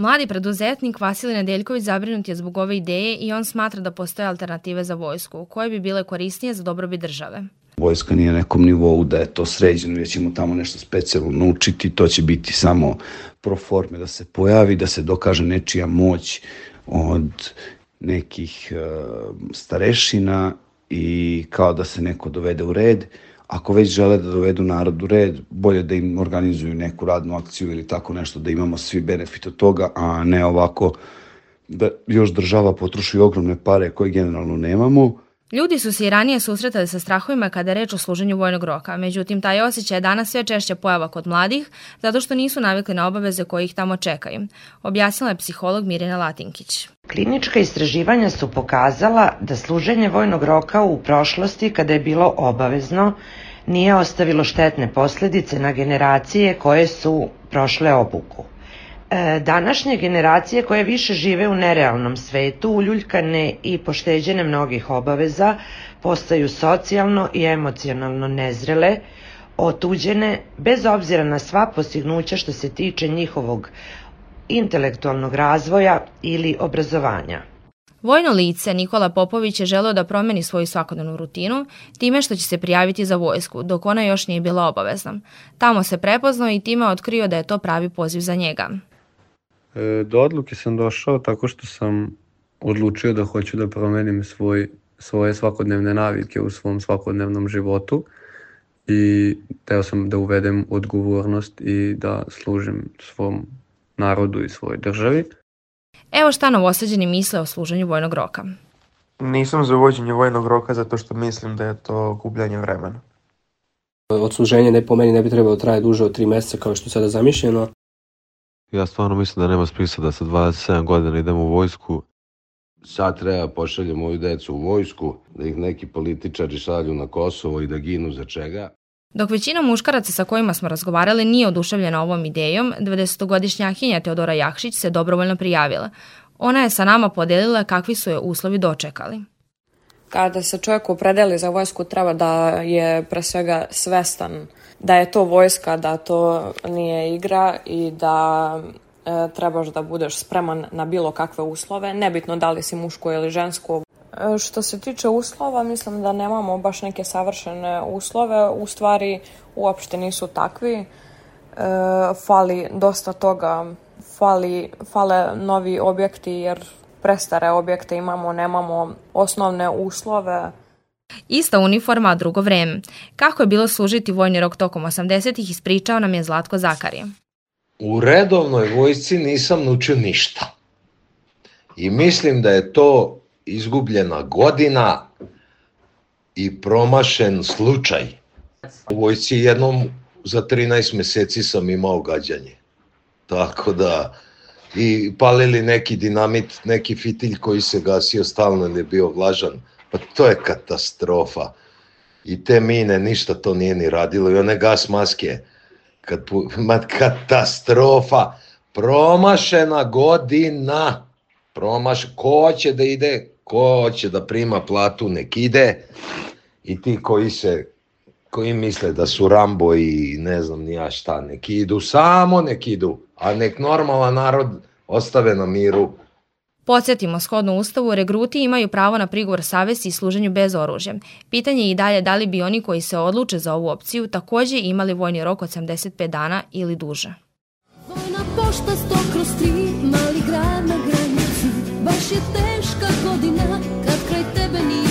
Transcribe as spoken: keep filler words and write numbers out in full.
Mladi preduzetnik Vasilij Nedeljković zabrinut je zbog ove ideje i on smatra da postoje alternative za vojsku, koje bi bile korisnije za dobrobit države. Vojska nije na nekom nivou da je to sređeno, da ćemo tamo nešto specijalno naučiti, to će biti samo pro forme da se pojavi, da se dokaže nečija moć od nekih uh, starešina i kao da se neko dovede u red. Ako već žele da dovedu narod u red, bolje da im organizuju neku radnu akciju ili tako nešto, da imamo svi benefit od toga, a ne ovako da još država potroši ogromne pare koje generalno nemamo. Ljudi su se i ranije susretali sa strahovima kada je reč o služenju vojnog roka, međutim taj osjećaj je danas sve češće pojava kod mladih zato što nisu navikli na obaveze koje ih tamo čekaju, objasnila je psiholog Mirjana Latinkić. Klinička istraživanja su pokazala da služenje vojnog roka u prošlosti, kada je bilo obavezno, nije ostavilo štetne posljedice na generacije koje su prošle obuku. Današnje generacije koje više žive u nerealnom svetu, uljuljkane i pošteđene mnogih obaveza, postaju socijalno i emocionalno nezrele, otuđene, bez obzira na sva postignuća što se tiče njihovog intelektualnog razvoja ili obrazovanja. Vojno lice Nikola Popović je želeo da promeni svoju svakodnevnu rutinu time što će se prijaviti za vojsku, dok ona još nije bila obavezna. Tamo se prepoznao i time otkrio da je to pravi poziv za njega. Do odluke sam došao tako što sam odlučio da hoću da promenim svoj, svoje svakodnevne navike u svom svakodnevnom životu i teo sam da uvedem odgovornost i da služim svom narodu i svojoj državi. Evo šta novosađeni misle o služenju vojnog roka. Nisam za uvođenje vojnog roka zato što mislim da je to gubljanje vremena. Odsluženje ne po meni ne bi trebalo trajati duže od tri mjeseca kao što je sada zamišljeno. Ja stvarno mislim da nema smisla da sa dvadeset sedam godina idemo u vojsku. Sad treba pošaljem moju decu u vojsku, da ih neki političari šalju na Kosovo i da ginu za čega. Dok većina muškaraca sa kojima smo razgovarali nije oduševljena ovom idejom, dvadesetogodišnjakinja Teodora Jakšić se dobrovoljno prijavila. Ona je sa nama podelila kakvi su je uslovi dočekali. Kada se čovjek opredeli za vojsku, treba da je pre svega svestan da je to vojska, da to nije igra i da e, trebaš da budeš spreman na bilo kakve uslove, nebitno da li si muško ili žensko. E, što se tiče uslova, mislim da nemamo baš neke savršene uslove, u stvari uopšte nisu takvi. E, fali dosta toga, fali, fale novi objekti jer prestare objekte imamo, nemamo osnovne uslove. Ista uniforma, a drugo vreme. Kako je bilo služiti vojni rok tokom osamdesetih ispričao nam je Zlatko Zakarije. U redovnoj vojsci nisam naučio ništa. I mislim da je to izgubljena godina i promašen slučaj. U vojsci jednom za trinaest meseci sam imao gađanje. Tako da, i palili neki dinamit, neki fitilj koji se gasio stalno ili je bio vlažan. Pa to je katastrofa. I te mine, ništa to nije ni radilo. I one gas maske. Kad, ma, katastrofa. Promašena godina. Promaš, ko će da ide, ko će da prima platu, nek ide. I ti koji se, koji misle da su Rambo i ne znam ni ja šta, nek idu, samo nek idu. A nek normalan narod ostave na miru. Podsjetimo, shodno Ustavu, regruti imaju pravo na prigovor savesti i služenju bez oružja. Pitanje je i dalje da li bi oni koji se odluče za ovu opciju također imali vojni rok od sedamdeset pet dana ili duže. Vojna pošta sto kroz tri, mali grad na granici, baš je teška godina kad kraj tebe nije.